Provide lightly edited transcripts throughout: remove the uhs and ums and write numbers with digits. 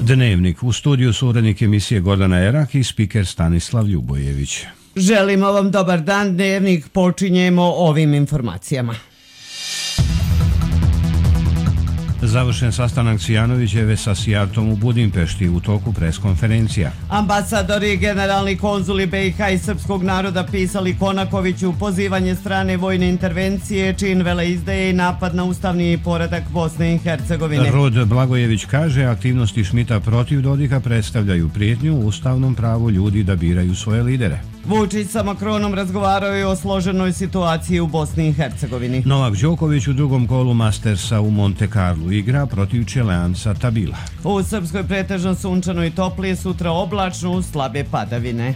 Dnevnik. U studiju su urednik emisije Gordana Erak i spiker Stanislav Ljubojević. Želimo vam dobar dan. Dnevnik počinjemo ovim informacijama. Završen sastanak Cvijanovićeve sa Sijartom u Budimpešti, u toku preskonferencija. Ambasadori i generalni konzuli BiH i srpskog naroda pisali Konakoviću pozivanje strane vojne intervencije, čin veleizdaje i napad na ustavni poredak Bosne i Hercegovine. Rod Blagojević kaže aktivnosti Šmita protiv Dodika predstavljaju prijetnju ustavnom pravu ljudi da biraju svoje lidere. Vučić sa Makronom razgovarao je o složenoj situaciji u Bosni i Hercegovini. Novak Đoković u drugom kolu Mastersa u Monte Carlo igra protiv Čeleanca Tabila. U Srpskoj pretežno sunčano i toplije, sutra oblačno uz slabe padavine.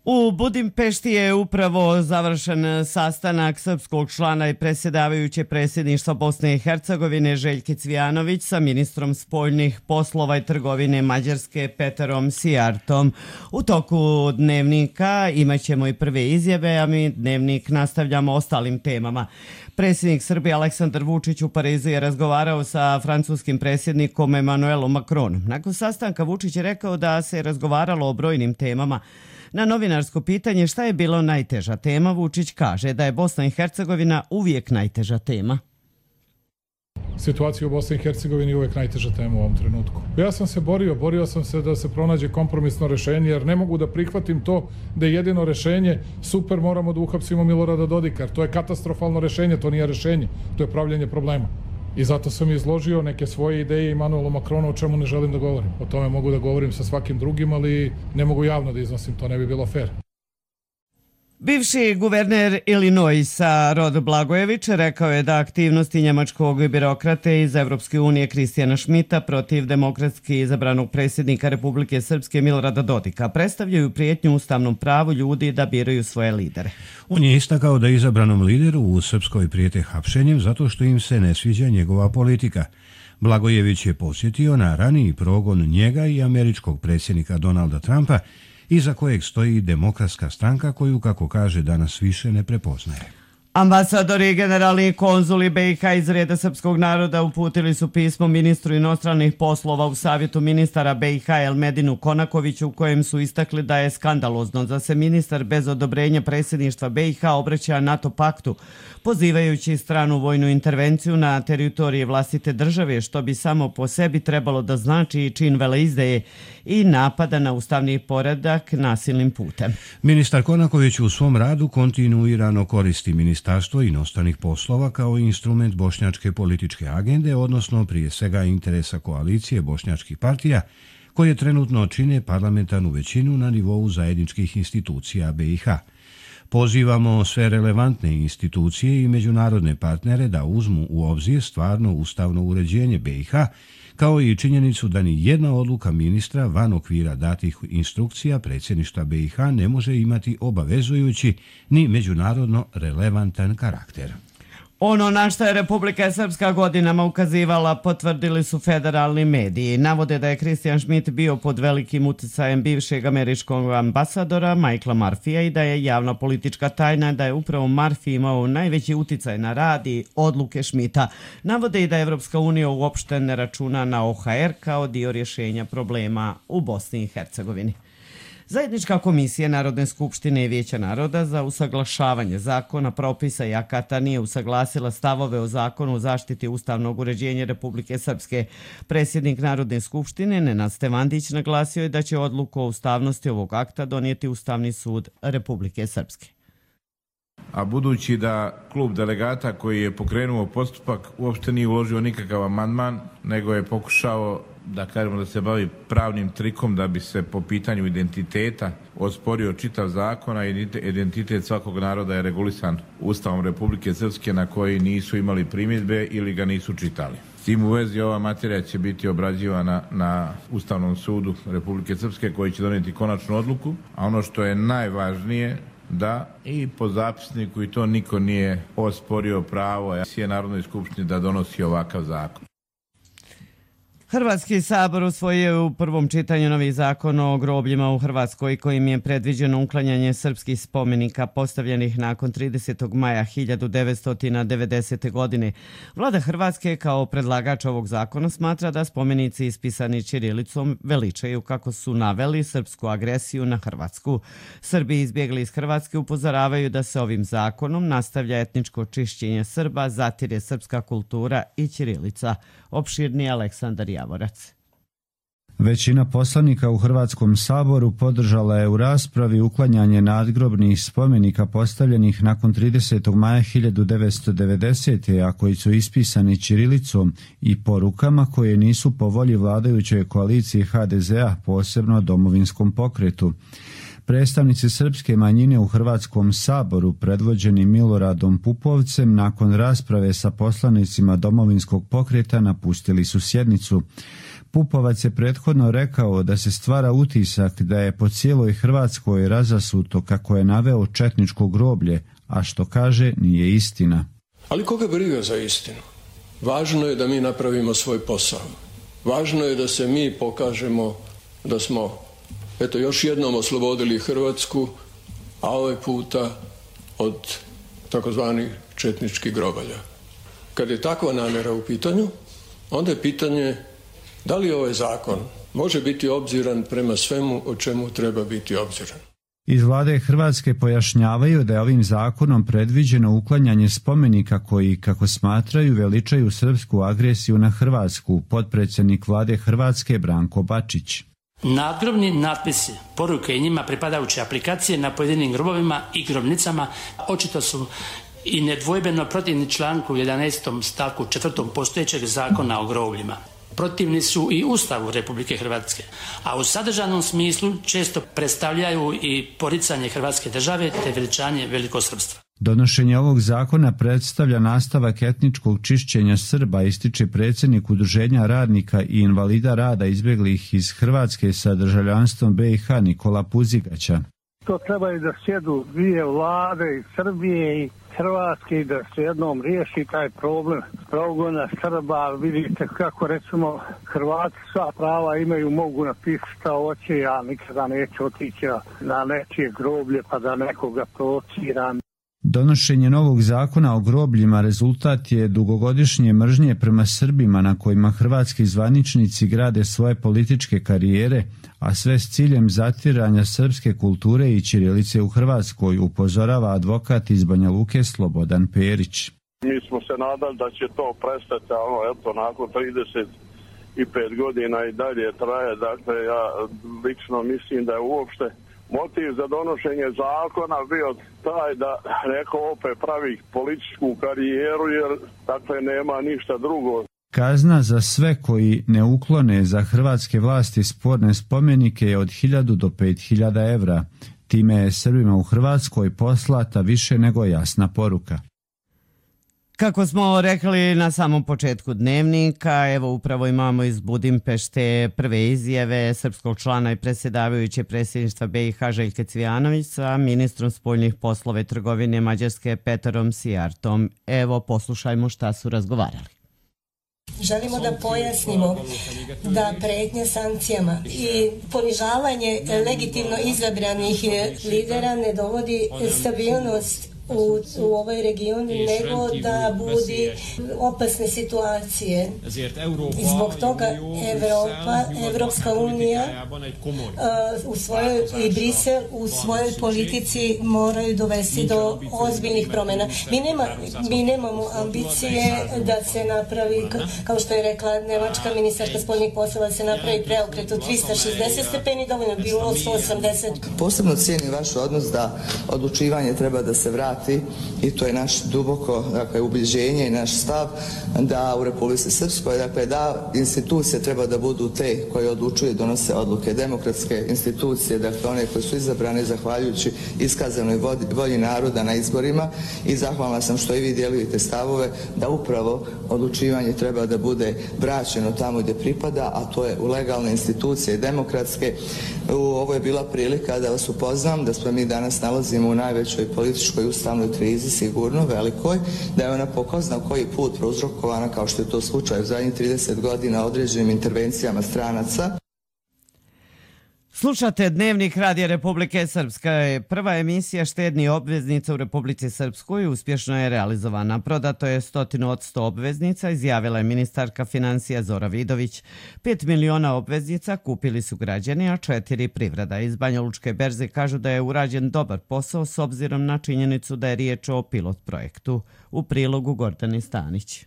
U Budimpešti je upravo završen sastanak srpskog člana i predsjedavajuće predsjedništva Bosne i Hercegovine Željke Cvijanović sa ministrom spoljnih poslova i trgovine Mađarske Peterom Sijartom. U toku dnevnika imat ćemo i prve izjave, a mi dnevnik nastavljamo ostalim temama. Predsjednik Srbije Aleksandar Vučić u Parizu je razgovarao sa francuskim predsjednikom Emmanuelom Macronom. Nakon sastanka Vučić je rekao da se razgovaralo o brojnim temama. Na novinarsko pitanje šta je bilo najteža tema, Vučić kaže da je Bosna i Hercegovina uvijek najteža tema. Situacija u Bosni i Hercegovini je uvijek najteža tema u ovom trenutku. Ja sam se borio sam se da se pronađe kompromisno rešenje, jer ne mogu da prihvatim to da je jedino rešenje super, moramo da uhapsimo Milorada Dodika. To je katastrofalno rešenje, to nije rešenje, to je pravljenje problema. I zato sam izložio neke svoje ideje Emmanuelu Macronu, o čemu ne želim da govorim. O tome mogu da govorim sa svakim drugim, ali ne mogu javno da iznosim, to ne bi bilo fair. Bivši guverner Illinoisa Rod Blagojević rekao je da aktivnosti njemačkog birokrate iz Evropske unije Kristijana Šmita protiv demokratski izabranog predsjednika Republike Srpske Milorada Dodika predstavljaju prijetnju ustavnom pravu ljudi da biraju svoje lidere. On je istakao da izabranom lideru u Srpskoj prijete hapšenjem zato što im se ne sviđa njegova politika. Blagojević je podsjetio na raniji progon njega i američkog predsjednika Donalda Trumpa, iza kojeg stoji Demokratska stranka koju, kako kaže, danas više ne prepoznaje. Ambasadori i generalni konzuli BiH iz reda srpskog naroda uputili su pismo ministru inostranih poslova u Savjetu ministara BiH Elmedinu Konakoviću, u kojem su istakli da je skandalozno da se ministar bez odobrenja predsjedništva BiH obraća NATO paktu, pozivajući stranu vojnu intervenciju na teritoriji vlastite države, što bi samo po sebi trebalo da znači čin veleizdaje i napada na ustavni poredak nasilnim putem. Ministar Konaković u svom radu kontinuirano koristi Ministarstvo inostranih poslova kao instrument bošnjačke političke agende, odnosno prije svega interesa koalicije bošnjačkih partija, koje trenutno čine parlamentarnu većinu na nivou zajedničkih institucija BiH. Pozivamo sve relevantne institucije i međunarodne partnere da uzmu u obzir stvarno ustavno uređenje BiH, kao i činjenicu da ni jedna odluka ministra van okvira datih instrukcija predsjedništva BiH ne može imati obavezujući ni međunarodno relevantan karakter. Ono na što je Republika Srpska godinama ukazivala potvrdili su federalni mediji. Navode da je Kristijan Šmit bio pod velikim uticajem bivšeg američkog ambasadora Michaela Murphyja i da je javna politička tajna da je upravo Murphy imao najveći uticaj na rad i odluke Šmita. Navode i da Evropska unija uopšte ne računa na OHR kao dio rješenja problema u Bosni i Hercegovini. Zajednička komisija Narodne skupštine i Vijeća naroda za usaglašavanje zakona, propisa i akata nije usaglasila stavove o zakonu o zaštiti ustavnog uređenja Republike Srpske. Predsjednik Narodne skupštine Nenad Stevandić naglasio je da će odluku o ustavnosti ovog akta donijeti Ustavni sud Republike Srpske. A budući da klub delegata koji je pokrenuo postupak uopšte nije uložio nikakav amandman, nego je pokušao da se bavi pravnim trikom da bi se po pitanju identiteta osporio čitav zakon, a identitet svakog naroda je regulisan Ustavom Republike Srpske na koji nisu imali primjedbe ili ga nisu čitali. S tim u vezi ova materija će biti obrađivana na Ustavnom sudu Republike Srpske koji će donijeti konačnu odluku, a ono što je najvažnije da i po zapisniku i to niko nije osporio pravo Narodnoj skupštini da donosi ovakav zakon. Hrvatski sabor usvojio je u prvom čitanju novi zakon o grobljima u Hrvatskoj kojim je predviđeno uklanjanje srpskih spomenika postavljenih nakon 30. maja 1990. godine. Vlada Hrvatske kao predlagač ovog zakona smatra da spomenici ispisani ćirilicom veličaju, kako su naveli, srpsku agresiju na Hrvatsku. Srbi izbjegli iz Hrvatske upozoravaju da se ovim zakonom nastavlja etničko čišćenje Srba, zatire srpska kultura i ćirilica. Opširni Aleksandar Javorac. Većina poslanika u Hrvatskom saboru podržala je u raspravi uklanjanje nadgrobnih spomenika postavljenih nakon 30. maja 1990. a koji su ispisani ćirilicom i porukama koje nisu po volji vladajućoj koaliciji HDZ-a, posebno Domovinskom pokretu. Predstavnici srpske manjine u Hrvatskom saboru, predvođeni Miloradom Pupovcem, nakon rasprave sa poslanicima Domovinskog pokreta napustili su sjednicu. Pupovac je prethodno rekao da se stvara utisak da je po cijeloj Hrvatskoj razasuto, kako je naveo, četničko groblje, a što kaže nije istina. Ali koga briga za istinu? Važno je da mi napravimo svoj posao. Važno je da se mi pokažemo da smo još jednom oslobodili Hrvatsku, a ovaj puta od takozvanih četničkih grobalja. Kad je takva namjera u pitanju, onda je pitanje da li ovaj zakon može biti obziran prema svemu o čemu treba biti obziran. Iz vlade Hrvatske pojašnjavaju da je ovim zakonom predviđeno uklanjanje spomenika koji, kako smatraju, veličaju srpsku agresiju na Hrvatsku, potpredsjednik vlade Hrvatske Branko Bačić. Nadgrobni natpisi, poruke i njima pripadajuće aplikacije na pojedinim grobovima i grobnicama očito su i nedvojbeno protivni članku 11. stavku 4. postojećeg zakona o grobljima. Protivni su i Ustavu Republike Hrvatske, a u sadržajnom smislu često predstavljaju i poricanje Hrvatske države te veličanje velikosrpstva. Donošenje ovog zakona predstavlja nastavak etničkog čišćenja Srba, ističe predsjednik Udruženja radnika i invalida rada izbjeglih iz Hrvatske sa državljanstvom BiH Nikola Puzigaća. To trebaju da sjedu dvije vlade iz Srbije i Hrvatske i da se jednom riješi taj problem progona Srba. Vidite kako, recimo, Hrvati sva prava imaju, mogu napisati šta hoće, ja nikada neću otići na nečije groblje pa da nekoga provociram. Donošenje novog zakona o grobljima rezultat je dugogodišnje mržnje prema Srbima na kojima hrvatski zvaničnici grade svoje političke karijere, a sve s ciljem zatiranja srpske kulture i ćirilice u Hrvatskoj, upozorava advokat iz Banja Luke Slobodan Perić. Mi smo se nadali da će to prestati, nakon 35 godina i dalje traje. Dakle, ja lično mislim da je uopšte motiv za donošenje zakona bio taj da neko opet pravi političku karijeru, jer dakle nema ništa drugo. Kazna za sve koji ne uklone za hrvatske vlasti sporne spomenike je od 1000 do 5000 evra. Time je Srbima u Hrvatskoj poslata više nego jasna poruka. Kako smo rekli na samom početku dnevnika, evo upravo imamo iz Budimpešte prve izjave srpskog člana i predsjedavajuće predsjedništva BiH Željka Cvijanović sa ministrom spoljnih poslova i trgovine Mađarske Peterom Sijartom. Evo poslušajmo šta su razgovarali. Želimo da pojasnimo da pretnje sankcijama i ponižavanje legitimno izabranih lidera ne dovodi stabilnost u ovoj regionu, nego da budi opasne situacije. Zbog toga Evropska unija i Brisel u svojoj politici moraju dovesti do ozbiljnih promjena. Mi nemamo ambicije da se napravi, kao što je rekla nemačka ministarka spoljnih poslova, da se napravi preokret od 360 stepeni, dovoljno bilo 180. Posebno cijenim vaš odnos da odlučivanje treba da se vrati, i to je naš duboko ubjeđenje i naš stav da u Republici Srpskoj, da institucije treba da budu te koje odlučuju i donose odluke. Demokratske institucije, one koje su izabrane zahvaljujući iskazanoj volji naroda na izborima, i zahvalna sam što i vi dijelite stavove da upravo odlučivanje treba da bude vraćeno tamo gdje pripada, a to je u legalne institucije demokratske. Ovo je bila prilika da vas upoznam da se mi danas nalazimo u najvećoj političkoj ustanovi jednostavnoj krizi, sigurno, velikoj, da je ona po ko zna koji put prouzrokovana, kao što je to slučaj u zadnjih 30 godina, određenim intervencijama stranaca. Slušate Dnevnik Radija Republike Srpske. Prva emisija štednih obveznica u Republici Srpskoj uspješno je realizovana. Prodato je 100% obveznica, izjavila je ministarka financija Zora Vidović. 5 miliona obveznica kupili su građani, a 4 privreda. Iz Banjalučke berze kažu da je urađen dobar posao s obzirom na činjenicu da je riječ o pilot projektu. U prilogu Gordani Stanić.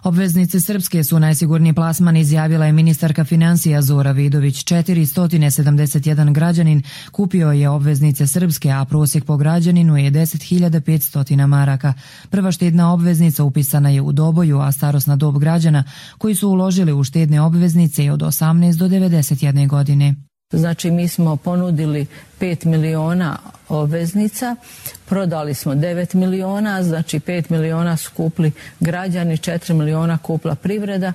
Obveznice srpske su najsigurniji plasman, izjavila je ministarka financija Zora Vidović. 471 građanin kupio je obveznice srpske, a prosjek po građaninu je 10.500 maraka. Prva štedna obveznica upisana je u Doboju, a starosna dob građana koji su uložili u štedne obveznice je od 18 do 91 godine. Znači mi smo ponudili 5 miliona obveznica, prodali smo 9 miliona, znači 5 miliona su kupili građani, 4 miliona kupila privreda,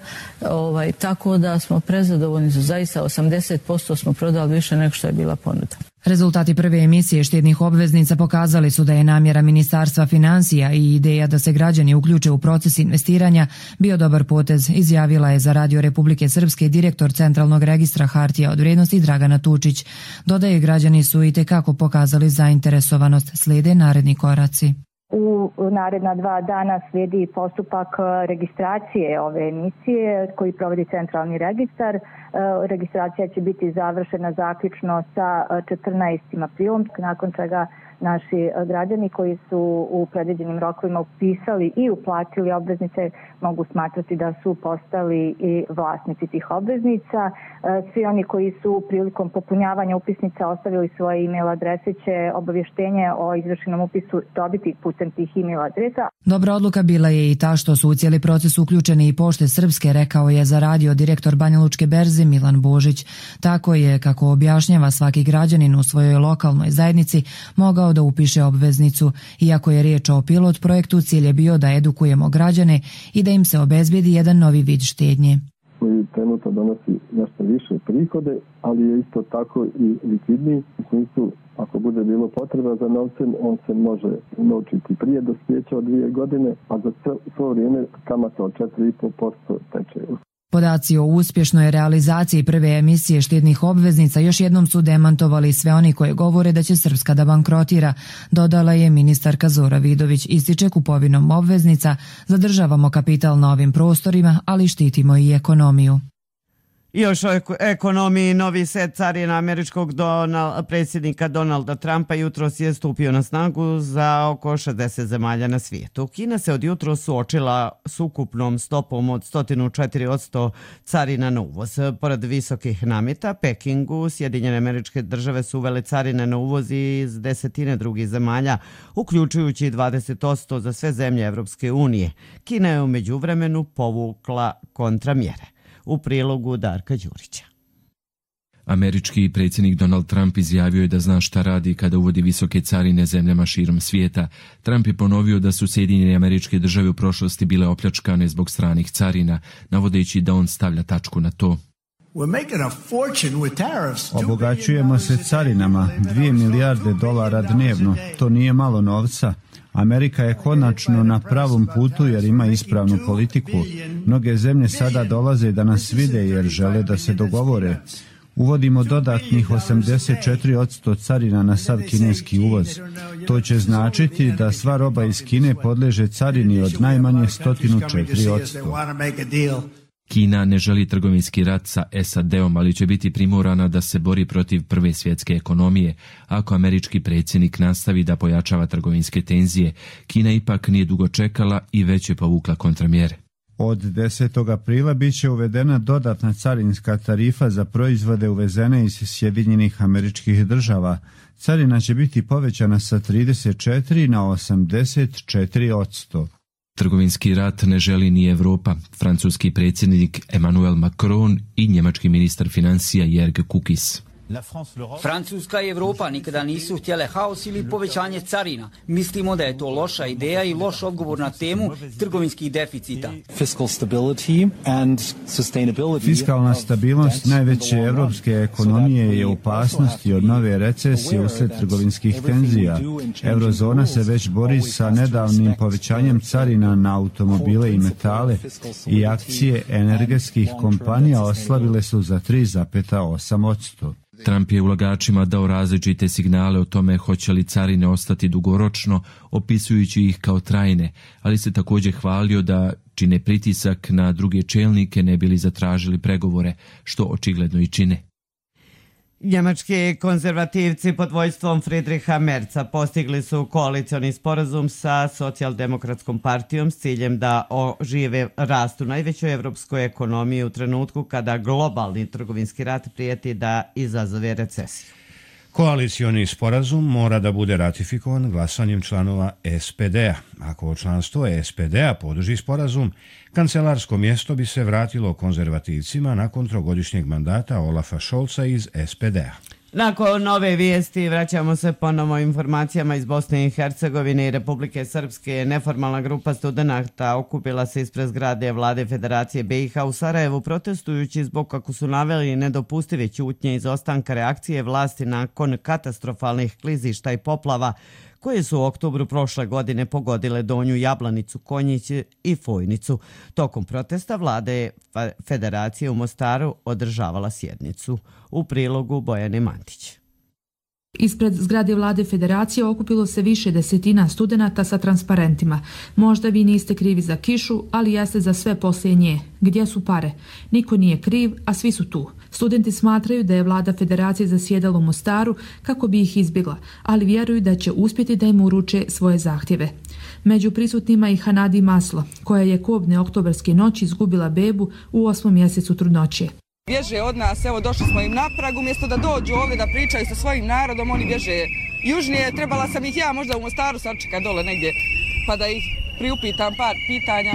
tako da smo prezadovoljni, zaista 80% smo prodali više nego što je bila ponuda. Rezultati prve emisije štednih obveznica pokazali su da je namjera Ministarstva financija i ideja da se građani uključe u proces investiranja bio dobar potez, izjavila je za Radio Republike Srpske direktor Centralnog registra hartija od vrijednosti Dragana Tučić. Dodaje, građani su itekako pokazali zainteresovanost, slijede naredni koraci. U naredna 2 dana slijedi postupak registracije ove emisije koji provodi Centralni registar. Registracija će biti završena zaključno sa 14. aprilom, nakon čega naši građani koji su u predviđenim rokovima upisali i uplatili obveznice mogu smatrati da su postali i vlasnici tih obveznica. Svi oni koji su prilikom popunjavanja upisnica ostavili svoje e-mail adrese će obavještenje o izvršenom upisu dobiti putem tih e-mail adresa. Dobra odluka bila je i ta što su u cijeli proces uključeni i Pošte Srpske, rekao je za radio direktor Banjalučke berze Milan Božić. Tako je, kako objašnjava, svaki građanin u svojoj lokalnoj zajednici mogao da upiše obveznicu. Iako je riječ o pilot projektu, cilj je bio da edukujemo građane i da im se obezbijedi jedan novi vid štednje. Koji trenutno donosi nešto više prihode, ali je isto tako i likvidniji. U smislu, ako bude bilo potreba za novcem, on se može unovčiti prije dospijeća od 2 godine, a za svo vrijeme kamata od 4,5% teče. Podaci o uspješnoj realizaciji prve emisije štednih obveznica još jednom su demantovali sve oni koji govore da će Srpska da bankrotira, dodala je ministarka Zora Vidović. Ističe, kupovinom obveznica zadržavamo kapital na ovim prostorima, ali štitimo i ekonomiju. Još o ekonomiji. Novi set carina američkog predsjednika Donalda Trumpa jutros je stupio na snagu za oko 60 zemalja na svijetu. Kina se od jutros suočila s ukupnom stopom od 104% carina na uvoz. Pored visokih nameta, Pekingu Sjedinjene Američke Države su uvele carine na uvoz iz desetine drugih zemalja, uključujući 20% za sve zemlje Evropske unije. Kina je u međuvremenu povukla kontramjere. U prilogu Darka Đurića. Američki predsjednik Donald Trump izjavio je da zna šta radi kada uvodi visoke carine zemljama širom svijeta. Trump je ponovio da su Sjedinjene Američke Države u prošlosti bile opljačkane zbog stranih carina, navodeći da on stavlja tačku na to. Obogaćujemo se carinama, $2 milijarde dnevno. To nije malo novca. Amerika je konačno na pravom putu jer ima ispravnu politiku. Mnoge zemlje sada dolaze da nas vide jer žele da se dogovore. Uvodimo dodatnih 84% carina na sav kineski uvoz. To će značiti da sva roba iz Kine podleže carini od najmanje 104%. Kina ne želi trgovinski rat sa SAD-om, ali će biti primorana da se bori protiv prve svjetske ekonomije. Ako američki predsjednik nastavi da pojačava trgovinske tenzije, Kina ipak nije dugo čekala i već je povukla kontramjere. Od 10. aprila bit će uvedena dodatna carinska tarifa za proizvode uvezene iz Sjedinjenih Američkih Država. Carina će biti povećana sa 34 na 84%. Trgovinski rat ne želi ni Europa. Francuski predsjednik Emmanuel Macron i njemački ministar financija Jörg Kukis. Francuska i Evropa nikada nisu htjele haos ili povećanje carina. Mislimo da je to loša ideja i loš odgovor na temu trgovinskih deficita. Fiskalna stabilnost najveće evropske ekonomije je u opasnosti od nove recesije uslijed trgovinskih tenzija. Eurozona se već bori sa nedavnim povećanjem carina na automobile i metale i akcije energetskih kompanija oslabile su za 3,8%. Trump je ulagačima dao različite signale o tome hoće li carine ostati dugoročno, opisujući ih kao trajne, ali se također hvalio da čine pritisak na druge čelnike ne bili zatražili pregovore, što očigledno i čine. Njemački konzervativci pod vojstvom Friedricha Merza postigli su koalicioni sporazum sa socijaldemokratskom partijom s ciljem da ožive rast u najvećoj evropskoj ekonomiji u trenutku kada globalni trgovinski rat prijeti da izazove recesiju. Koalicioni sporazum mora da bude ratifikovan glasanjem članova SPD-a. Ako članstvo SPD-a podrži sporazum, kancelarsko mjesto bi se vratilo konzervativcima nakon trogodišnjeg mandata Olafa Scholza iz SPD-a. Nakon nove vijesti vraćamo se ponovo informacijama iz Bosne i Hercegovine i Republike Srpske. Neformalna grupa studenata okupila se ispred zgrade Vlade Federacije BiH u Sarajevu protestujući zbog, kako su naveli, nedopustive ćutnje izostanka reakcije vlasti nakon katastrofalnih klizišta i poplava koje su u oktobru prošle godine pogodile Donju Jablanicu, Konjić i Fojnicu. Tokom protesta Vlade Federacije u Mostaru održavala sjednicu. U prilogu Bojane Mantić. Ispred zgrade Vlade Federacije okupilo se više desetina studenata sa transparentima. Možda vi niste krivi za kišu, ali jeste za sve poslije nje. Gdje su pare? Niko nije kriv, a svi su tu. Studenti smatraju da je Vlada Federacije zasjedala u Mostaru kako bi ih izbjegla, ali vjeruju da će uspjeti da im uruče svoje zahtjeve. Među prisutnima i Hanadi Maslo, koja je kobne oktobarske noći izgubila bebu u 8. mjesecu trudnoće. Bježe od nas, evo došli smo im na prag, umjesto da dođu ovdje da pričaju sa svojim narodom, oni bježe južnije. Trebala sam ih ja možda u Mostaru sačekati dole negdje, pa da ih priupitam par pitanja.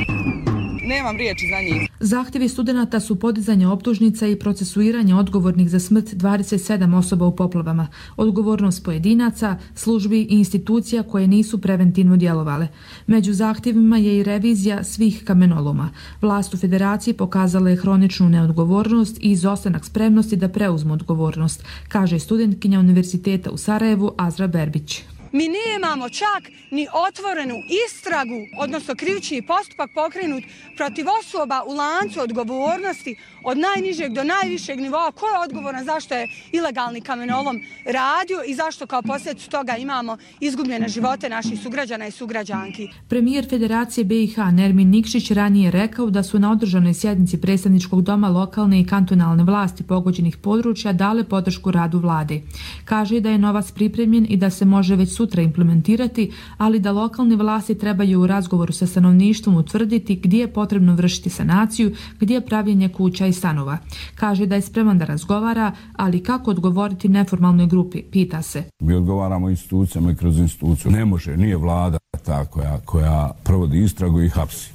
Nemam riječi za njih. Zahtjevi studenata su podizanje optužnica i procesuiranje odgovornih za smrt 27 osoba u poplavama, odgovornost pojedinaca, službi i institucija koje nisu preventivno djelovale. Među zahtjevima je i revizija svih kamenoloma. Vlast u Federaciji pokazala je hroničnu neodgovornost i izostanak spremnosti da preuzmu odgovornost, kaže studentkinja Univerziteta u Sarajevu Azra Berbić. Mi nemamo čak ni otvorenu istragu, odnosno krivični postupak pokrenut protiv osoba u lancu odgovornosti od najnižeg do najvišeg nivoa. Ko je odgovoran zašto je ilegalni kamenolom radio i zašto kao posljedicu toga imamo izgubljene živote naših sugrađana i sugrađanki. Premijer Federacije BiH Nermin Nikšić ranije rekao da su na održanoj sjednici predstavničkog doma lokalne i kantonalne vlasti pogođenih područja dale podršku radu vlade. Kaže da je novac pripremljen i da se može već sutra implementirati, ali da lokalne vlasti trebaju u razgovoru sa stanovništvom utvrditi gdje je potrebno vršiti sanaciju, gdje je pravljenje kuća i stanova. Kaže da je spreman da razgovara, ali kako odgovoriti neformalnoj grupi, pita se. Mi odgovaramo institucijama i kroz instituciju. Ne može, nije vlada ta koja provodi istragu i hapsi.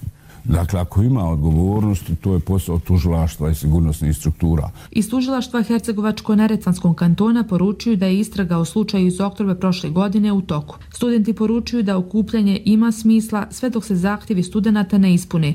Dakle, ako ima odgovornost, to je posao tužilaštva i sigurnosnih struktura. Iz tužilaštva Hercegovačko-Neretvanskog kantona poručuju da je istraga o slučaju iz oktobra prošle godine u toku. Studenti poručuju da okupljanje ima smisla sve dok se zahtjevi studenata ne ispune.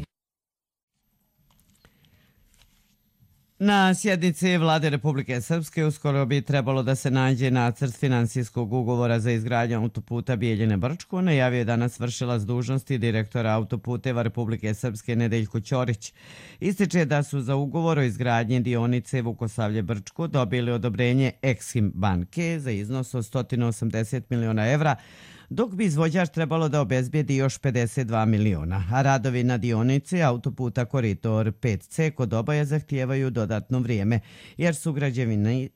Na sjednici Vlade Republike Srpske uskoro bi trebalo da se nađe nacrt finansijskog ugovora za izgradnju autoputa Bijeljine-Brčko, najavio je danas vršilac dužnosti direktora autoputeva Republike Srpske Nedeljko Ćorić. Ističe da su za ugovor o izgradnji dionice Vukosavlje-Brčko dobili odobrenje Exim banke za iznos od 180 miliona evra, dok bi izvođač trebalo da obezbijedi još 52 miliona. A radovi na dionici autoputa Koridor 5C kod Oboja zahtijevaju dodatno vrijeme, jer su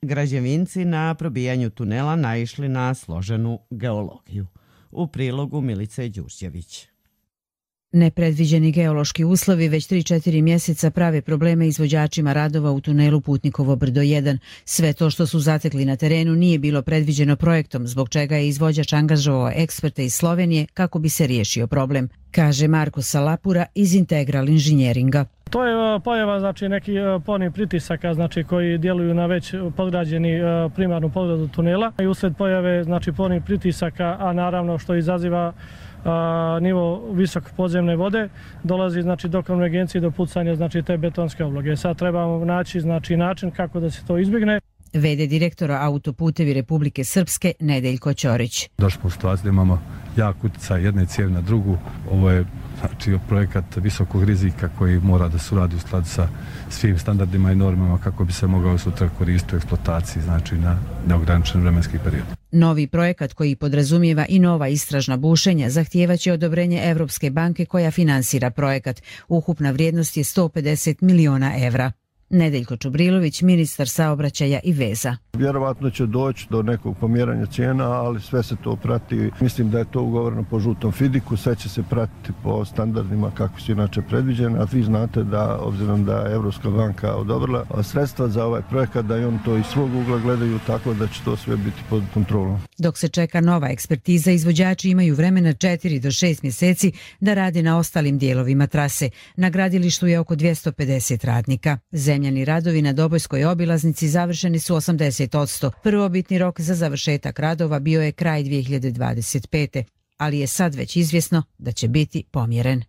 građevinci na probijanju tunela naišli na složenu geologiju. U prilogu Milice Đurđević. Nepredviđeni geološki uslovi već 3-4 mjeseca prave probleme izvođačima radova u tunelu Putnikovo brdo 1. Sve to što su zatekli na terenu nije bilo predviđeno projektom, zbog čega je izvođač angažovao eksperte iz Slovenije kako bi se riješio problem, kaže Marko Salapura iz Integral inženjeringa. To je pojava neki polnih pritisaka koji djeluju na već podgrađeni primarnu podgradu tunela i usred pojave polnih pritisaka, a naravno što izaziva nivo visok podzemne vode, dolazi do konvergencije do pucanja te betonske obloge. Sad trebamo naći način kako da se to izbjegne. VD direktora Autoputevi Republike Srpske Nedeljko Ćorić. Došli smo u situaciju da imamo jak utjecaj jedne cijevi na drugu. Ovo je projekat visokog rizika koji mora da se uradi u skladu sa svim standardima i normama kako bi se mogao sutra koristiti u eksploataciji, na neograničen vremenski period. Novi projekat koji podrazumijeva i nova istražna bušenja zahtijevaće odobrenje Evropske banke koja finansira projekat. Ukupna vrijednost je 150 miliona evra. Nedeljko Čubrilović, ministar saobraćaja i veza. Vjerovatno će doći do nekog pomjeranja cijena, ali sve se to prati. Mislim da je to ugovoreno po žutom fidiku, sve će se pratiti po standardima kako su inače predviđene, a vi znate da, obzirom da je Evropska banka odobrila sredstva za ovaj projekat, da i on to iz svog ugla gledaju tako da će to sve biti pod kontrolom. Dok se čeka nova ekspertiza, izvođači imaju vremena 4 do 6 mjeseci da rade na ostalim dijelovima trase. Na gradilištu je oko 250 radnika. Zemljani radovi na Dobojskoj obilaznici završeni su 80%. Prvobitni rok za završetak radova bio je kraj 2025. ali je sad već izvjesno da će biti pomjeren.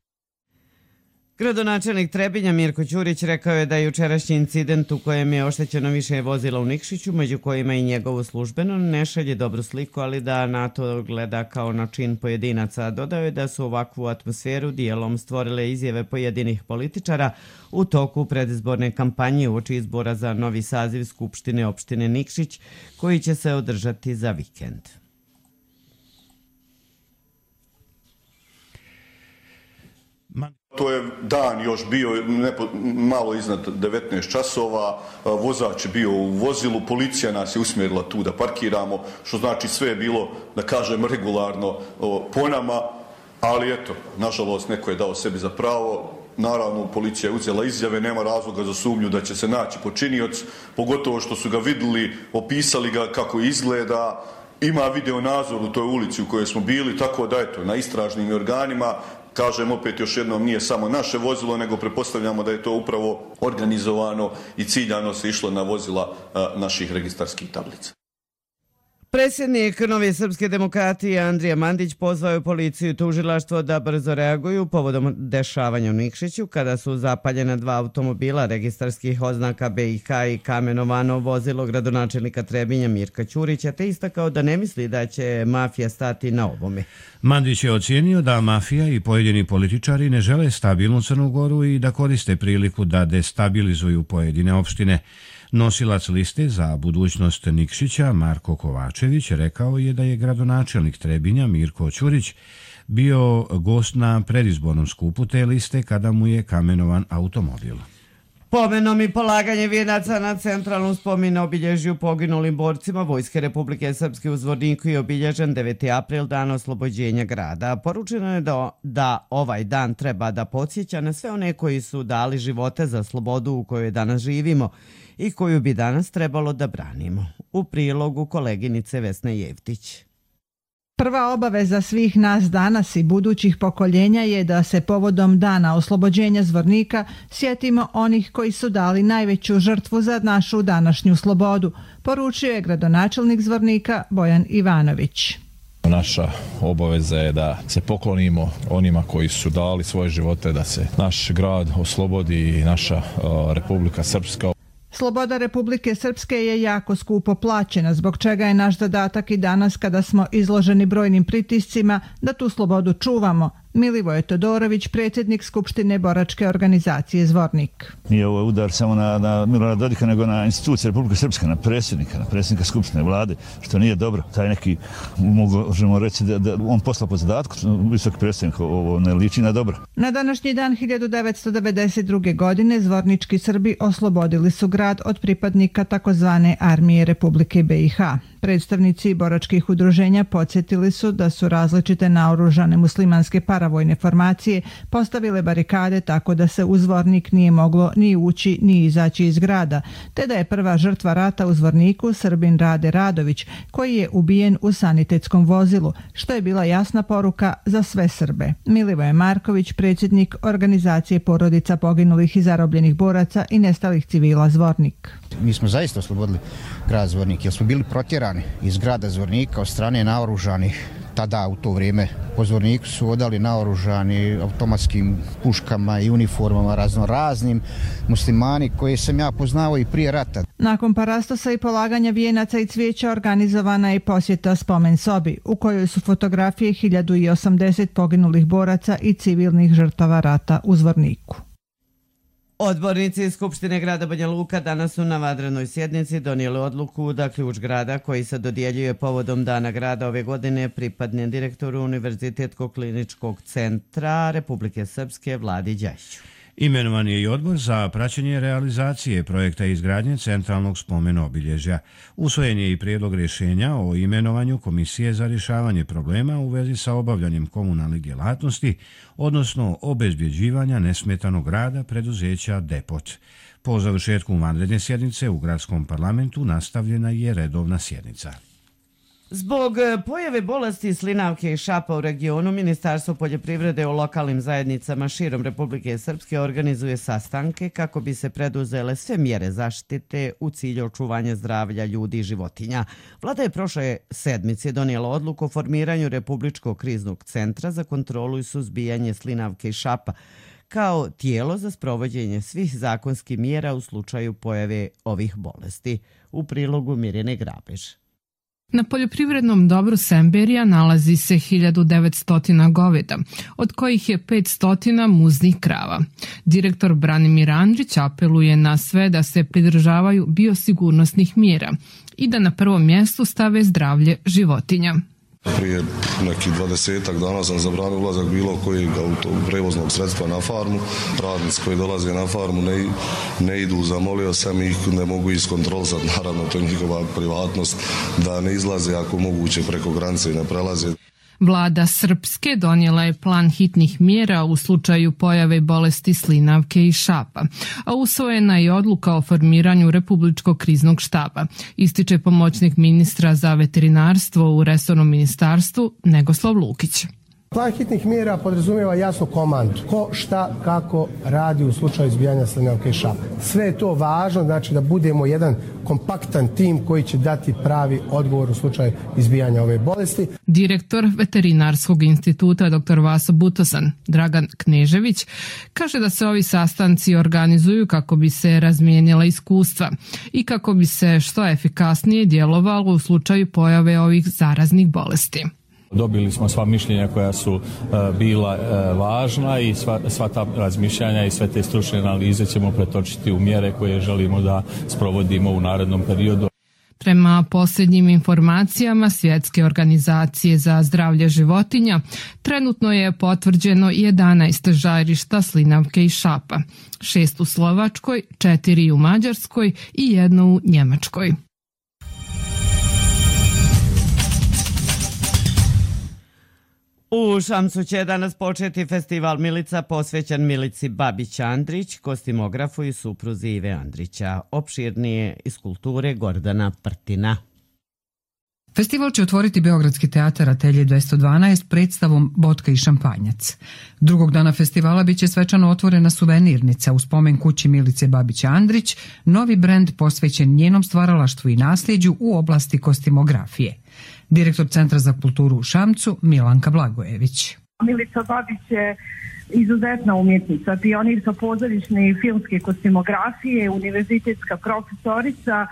Gradonačelnik Trebinja Mirko Ćurić rekao je da je jučerašnji incident u kojem je oštećeno više vozila u Nikšiću, među kojima i njegovo službeno, ne šalje dobru sliku, ali da na to gleda kao na čin pojedinaca. Dodao je da su ovakvu atmosferu dijelom stvorile izjave pojedinih političara u toku predizborne kampanje uoči izbora za novi saziv Skupštine opštine Nikšić, koji će se održati za vikend. To je dan još bio malo iznad 19 časova, vozač je bio u vozilu, policija nas je usmjerila tu da parkiramo, što znači sve je bilo, da kažem, regularno po nama, ali eto, nažalost neko je dao sebi za pravo. Naravno, policija je uzela izjave, nema razloga za sumnju da će se naći počinioc, pogotovo što su ga vidjeli, opisali ga kako izgleda, ima video nadzor u toj ulici u kojoj smo bili, tako da eto, na istražnim organima. Kažem opet još jednom, nije samo naše vozilo, nego pretpostavljamo da je to upravo organizovano i ciljano se išlo na vozila naših registarskih tablica. Predsjednik Nove srpske demokratije Andrija Mandić pozvao je policiju i tužilaštvo da brzo reaguju povodom dešavanja u Nikšiću kada su zapaljena 2 automobila registarskih oznaka BiH i kamenovano vozilo gradonačelnika Trebinja Mirka Ćurića, te istakao da ne misli da će mafija stati na ovome. Mandić je ocijenio da mafija i pojedini političari ne žele stabilnu Crnu Goru i da koriste priliku da destabilizuju pojedine opštine. Nosilac liste za budućnost Nikšića Marko Kovačević rekao je da je gradonačelnik Trebinja Mirko Ćurić bio gost na predizbornom skupu te liste kada mu je kamenovan automobil. Pomenom i polaganje vijenaca na centralnom spomen obilježju poginulim borcima Vojske Republike Srpske u Zvorniku je obilježen 9. april, dan oslobođenja grada. Poručeno je da ovaj dan treba da podsjeća na sve one koji su dali živote za slobodu u kojoj danas živimo i koju bi danas trebalo da branimo. U prilogu koleginice Vesne Jevtić. Prva obaveza svih nas danas i budućih pokoljenja je da se povodom dana oslobođenja Zvornika sjetimo onih koji su dali najveću žrtvu za našu današnju slobodu, poručio je gradonačelnik Zvornika Bojan Ivanović. Naša obaveza je da se poklonimo onima koji su dali svoje živote, da se naš grad oslobodi i naša Republika Srpska. Sloboda Republike Srpske je jako skupo plaćena, zbog čega je naš zadatak i danas kada smo izloženi brojnim pritiscima da tu slobodu čuvamo. Milivoje Todorović, predsjednik Skupštine boračke organizacije Zvornik. Nije ovo udar samo na Milorada Dodika, nego na institucije Republike Srpske, na predsjednika Skupštine vlade, što nije dobro. Taj neki, možemo reći da on posla po zadatku, visoki predsjednik, ovo ne liči na dobro. Na današnji dan 1992. godine zvornički Srbi oslobodili su grad od pripadnika takozvane armije Republike BiH. Predstavnici boračkih udruženja podsjetili su da su različite naoružane muslimanske paravojne formacije postavile barikade tako da se u Zvornik nije moglo ni ući ni izaći iz grada, te da je prva žrtva rata u Zvorniku Srbin Rade Radović, koji je ubijen u sanitetskom vozilu, što je bila jasna poruka za sve Srbe. Milivoje Marković, predsjednik organizacije porodica poginulih i zarobljenih boraca i nestalih civila Zvornik. Mi smo zaista oslobodili grad Zvornik, jer smo bili protjerani iz grada Zvornika od strane naoružanih. Tada u to vrijeme po Zvorniku su odali naoružani automatskim puškama i uniformama raznoraznim muslimani koje sam ja poznao i prije rata. Nakon parastosa i polaganja vijenaca i cvijeća organizovana je posjeta spomen sobi u kojoj su fotografije 1080 poginulih boraca i civilnih žrtava rata u Zvorniku. Odbornici iz Skupštine grada Banja Luka danas su na vanrednoj sjednici donijeli odluku da ključ grada koji se dodjeljuje povodom Dana grada ove godine pripadne direktoru Univerzitetskog kliničkog centra Republike Srpske Vladi Đajiću. Imenovan je i odbor za praćenje realizacije projekta izgradnje centralnog spomen obilježja. Usvojen je i prijedlog rješenja o imenovanju Komisije za rješavanje problema u vezi sa obavljanjem komunalnih djelatnosti, odnosno obezbjeđivanja nesmetanog rada preduzeća Depot. Po završetku vanredne sjednice u gradskom parlamentu nastavljena je redovna sjednica. Zbog pojave bolesti slinavke i šapa u regionu, Ministarstvo poljoprivrede u lokalnim zajednicama širom Republike Srpske organizuje sastanke kako bi se preduzele sve mjere zaštite u cilju očuvanja zdravlja ljudi i životinja. Vlada je prošle sedmice donijela odluku o formiranju Republičkog kriznog centra za kontrolu i suzbijanje slinavke i šapa kao tijelo za sprovođenje svih zakonskih mjera u slučaju pojave ovih bolesti. U prilogu Mirjane Grabež. Na poljoprivrednom dobru Semberija nalazi se 1900 goveda, od kojih je 500 muznih krava. Direktor Branimir Andrić apeluje na sve da se pridržavaju biosigurnosnih mjera i da na prvom mjestu stave zdravlje životinja. Prije nekih 20 dana sam zabranio ulazak bilo kojeg prevoznog sredstva na farmu. Radnici koji dolaze na farmu ne idu, zamolio sam ih, ne mogu iskontrolisati, naravno to je njihova privatnost, da ne izlaze ako moguće preko granice i ne prelaze. Vlada Srpske donijela je plan hitnih mjera u slučaju pojave bolesti slinavke i šapa, a usvojena je odluka o formiranju Republičkog kriznog štaba, ističe pomoćnik ministra za veterinarstvo u resornom ministarstvu Negoslav Lukić. Plan hitnih mjera podrazumijeva jasnu komandu. Ko, šta, kako radi u slučaju izbijanja slinavke i šapa. Sve je to važno, znači da budemo jedan kompaktan tim koji će dati pravi odgovor u slučaju izbijanja ove bolesti. Direktor Veterinarskog instituta dr. Vaso Butosan, Dragan Knežević, kaže da se ovi sastanci organizuju kako bi se razmijenila iskustva i kako bi se što efikasnije djelovalo u slučaju pojave ovih zaraznih bolesti. Dobili smo sva mišljenja koja su bila važna i sva ta razmišljanja i sve te stručne analize ćemo pretočiti u mjere koje želimo da sprovodimo u narednom periodu. Prema posljednjim informacijama Svjetske organizacije za zdravlje životinja, trenutno je potvrđeno 11 žarišta slinavke i šapa, 6 u Slovačkoj, 4 u Mađarskoj i 1 u Njemačkoj. U Šamcu će danas početi festival Milica posvećen Milici Babić-Andrić, kostimografu i supruzi Ive Andrića. Opširnije iz kulture Gordana Prtina. Festival će otvoriti Beogradski teatar Atelje 212 predstavom Botka i šampanjac. Drugog dana festivala biće svečano otvorena suvenirnica u spomen kući Milice Babić-Andrić, novi brend posvećen njenom stvaralaštvu i nasljeđu u oblasti kostimografije. Direktor Centra za kulturu u Šamcu Milanka Blagojević. Milica Babić je izuzetna umjetnica, pionirka pozorišne i filmske kostimografije, univerzitetska profesorica,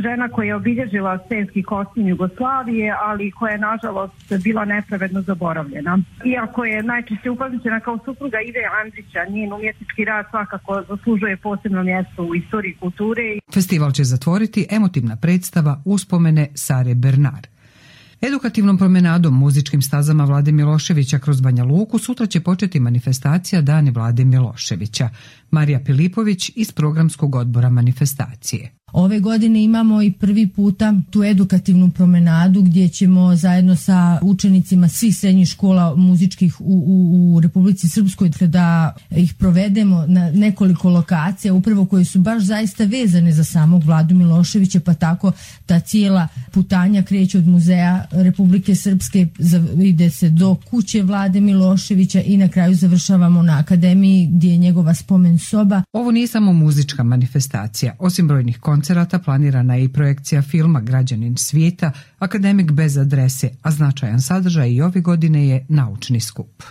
žena koja je obilježila scenski kostim Jugoslavije, ali koja je nažalost bila nepravedno zaboravljena. Iako je najčešće upamćena kao supruga Ive Andrića, njen umjetnički rad svakako zaslužuje posebno mjesto u istoriji kulture. Festival će zatvoriti emotivna predstava Uspomene Sare Bernard. Edukativnom promenadom muzičkim stazama Vlade Miloševića kroz Banja Luku sutra će početi manifestacija Dani Vlade Miloševića. Marija Pilipović iz programskog odbora manifestacije. Ove godine imamo i prvi puta tu edukativnu promenadu gdje ćemo zajedno sa učenicima svih srednjih škola muzičkih u Republici Srpskoj da ih provedemo na nekoliko lokacija, upravo koje su baš zaista vezane za samog Vladu Miloševića, pa tako ta cijela putanja kreće od Muzeja Republike Srpske, ide se do kuće Vlade Miloševića i na kraju završavamo na akademiji gdje je njegova spomen soba. Ovo nije samo muzička manifestacija. Osim brojnih koncerata planirana je i projekcija filma Građanin svijeta, Akademik bez adrese, a značajan sadržaj i ove godine je naučni skup.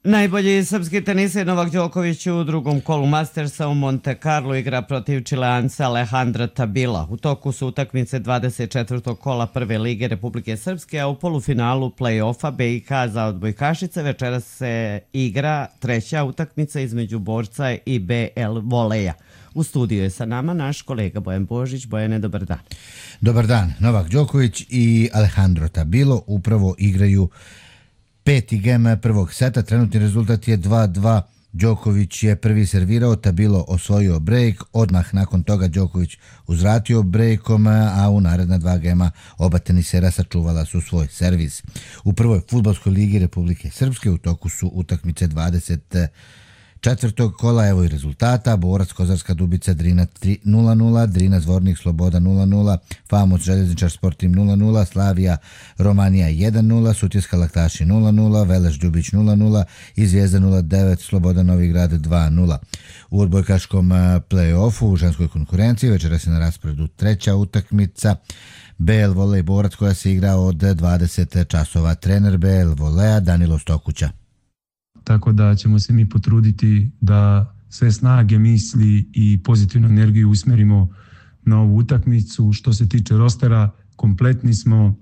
Najbolji srpski teniser Novak Đoković u drugom kolu Mastersa u Monte Carlo igra protiv Čileanca Alejandra Tabila. U toku su utakmice 24. kola Prve lige Republike Srpske, a u polufinalu play-offa BiH za odbojkašice večeras se igra treća utakmica između borca i BL Voleja. U studiju je sa nama naš kolega Bojan Božić. Bojane, dobar dan. Dobar dan. Novak Đoković i Alejandro Tabilo upravo igraju peti gem prvog seta, trenutni rezultat je 2-2. Đoković je prvi servirao, Tabilo osvojio brejk, odmah nakon toga Đoković uzvratio brejkom, a u naredna dva gema oba tenisera sačuvala su svoj servis. U prvoj fudbalskoj ligi Republike Srpske u toku su utakmice 24. kola, evo i rezultata: Borac Kozarska Dubica Drina 0-0, Drina Zvornik Sloboda 0-0, Famos Željezničar Sportim 0-0, Slavija Romanija 1-0, Sutjeska Laktaši 0-0, Veleš Ljubić 0-0 i Zvijezda 0-9, Sloboda Novi Grad 2-0. U odbojkaškom play-offu u ženskoj konkurenciji večeras je na rasporedu treća utakmica BL Volej Borac koja se igra od 20 časova. Trener BL Voleja Danilo Stokuća. Tako da ćemo se mi potruditi da sve snage, misli i pozitivnu energiju usmjerimo na ovu utakmicu. Što se tiče rostera, kompletni smo.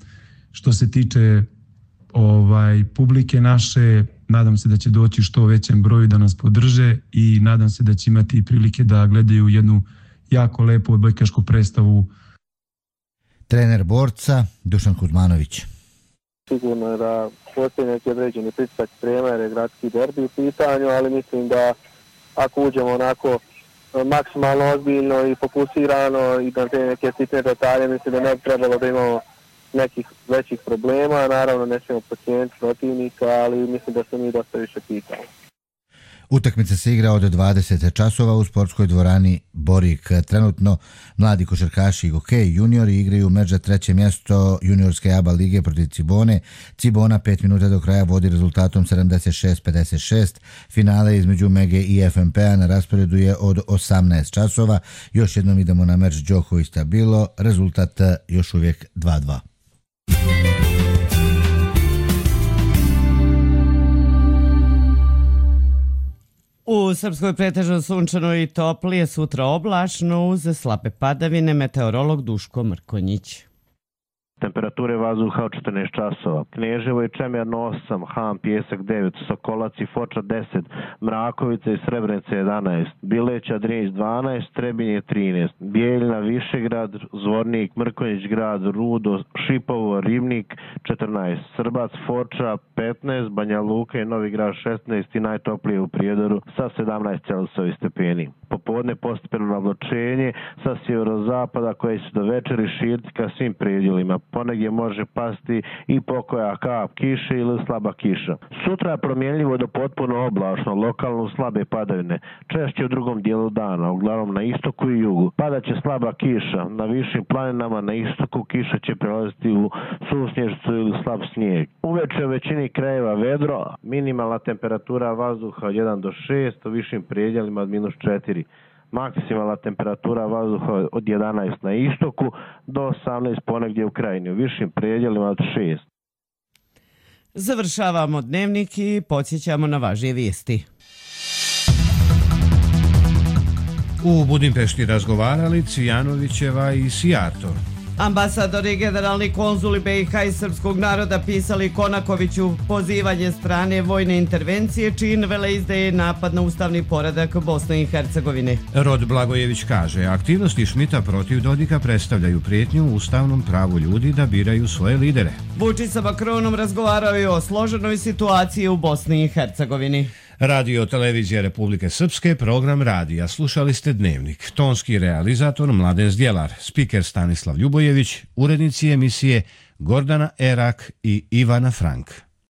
Što se tiče publike naše, nadam se da će doći što većem broju da nas podrže i nadam se da će imati prilike da gledaju jednu jako lepu odbojkašku predstavu. Trener borca Dušan Kuzmanović. Sigurno je da postoji neki određeni pritisak sprema jer je gradski derbi u pitanju, ali mislim da ako uđemo onako maksimalno ozbiljno i fokusirano i da te neke sitne detalje, mislim da ne bi trebalo da imamo nekih većih problema. Naravno ne smijemo podcijeniti protivnika, ali mislim da se mi dosta više pitamo. Utakmica se igra od 20 časova u sportskoj dvorani Borik. Trenutno mladi košarkaši i hokej juniori igraju meč za treće mjesto juniorske ABA lige protiv Cibone. Cibona 5 minuta do kraja vodi rezultatom 76-56. Finale između Mege i FNP-a na rasporedu je od 18 časova. Još jednom idemo na meč Đoković Tabilo. Rezultat još uvijek 2-2. U Srpskoj pretežno sunčano i toplije, sutra oblačno uz slabe padavine, meteorolog Duško Mrkonjić. Temperature vazduha od 14 časova. Kneževo i Čemerno 8, Ham, Pjesak 9, Sokolac i Foča 10, Mrakovica i Srebrenica 11, Bileća, Drinić 12, Trebinje 13, Bijeljina, Višegrad, Zvornik, Mrkonjić grad, Rudo, Šipovo, Ribnik 14, Srbac, Foča 15, Banja Luka i Novi Grad 16 i najtoplije u Prijedoru sa 17 Celsijevi stepeni. Popodne postepeno oblačenje sa sjeverozapada koje će do večeri širiti ka svim predjelima. Ponegdje može pasti i pokoja kap kiše ili slaba kiša. Sutra je promjenljivo do potpuno oblačno, lokalno slabe padavine, češće u drugom dijelu dana, uglavnom na istoku i jugu. Padaće slaba kiša, na višim planinama na istoku kiša će prelaziti u susnježicu ili slab snijeg. Uveče u većini krajeva vedro, minimalna temperatura vazduha od 1 do 6, u višim predjelima od -4. Maksimalna temperatura vazduha od 11 na istoku do 18 ponegdje u krajini, u višim predjelima od 6. Završavamo dnevnik i podsjećamo na važnije vijesti. U Budimpešti razgovarali Cvijanovićeva i Sijarto. Ambasadori i generalni konzuli BiH i srpskog naroda pisali Konakoviću pozivanje strane vojne intervencije čin veleizdaje napad na ustavni poredak Bosne i Hercegovine. Rod Blagojević kaže, aktivnosti Šmita protiv Dodika predstavljaju prijetnju ustavnom pravu ljudi da biraju svoje lidere. Vučić sa Makronom razgovarao i o složenoj situaciji u Bosni i Hercegovini. Radio Televizija Republike Srpske, program radija. Slušali ste Dnevnik. Tonski realizator Mladen Zdjelar, spiker Stanislav Ljubojević, urednici emisije Gordana Erak i Ivana Frank.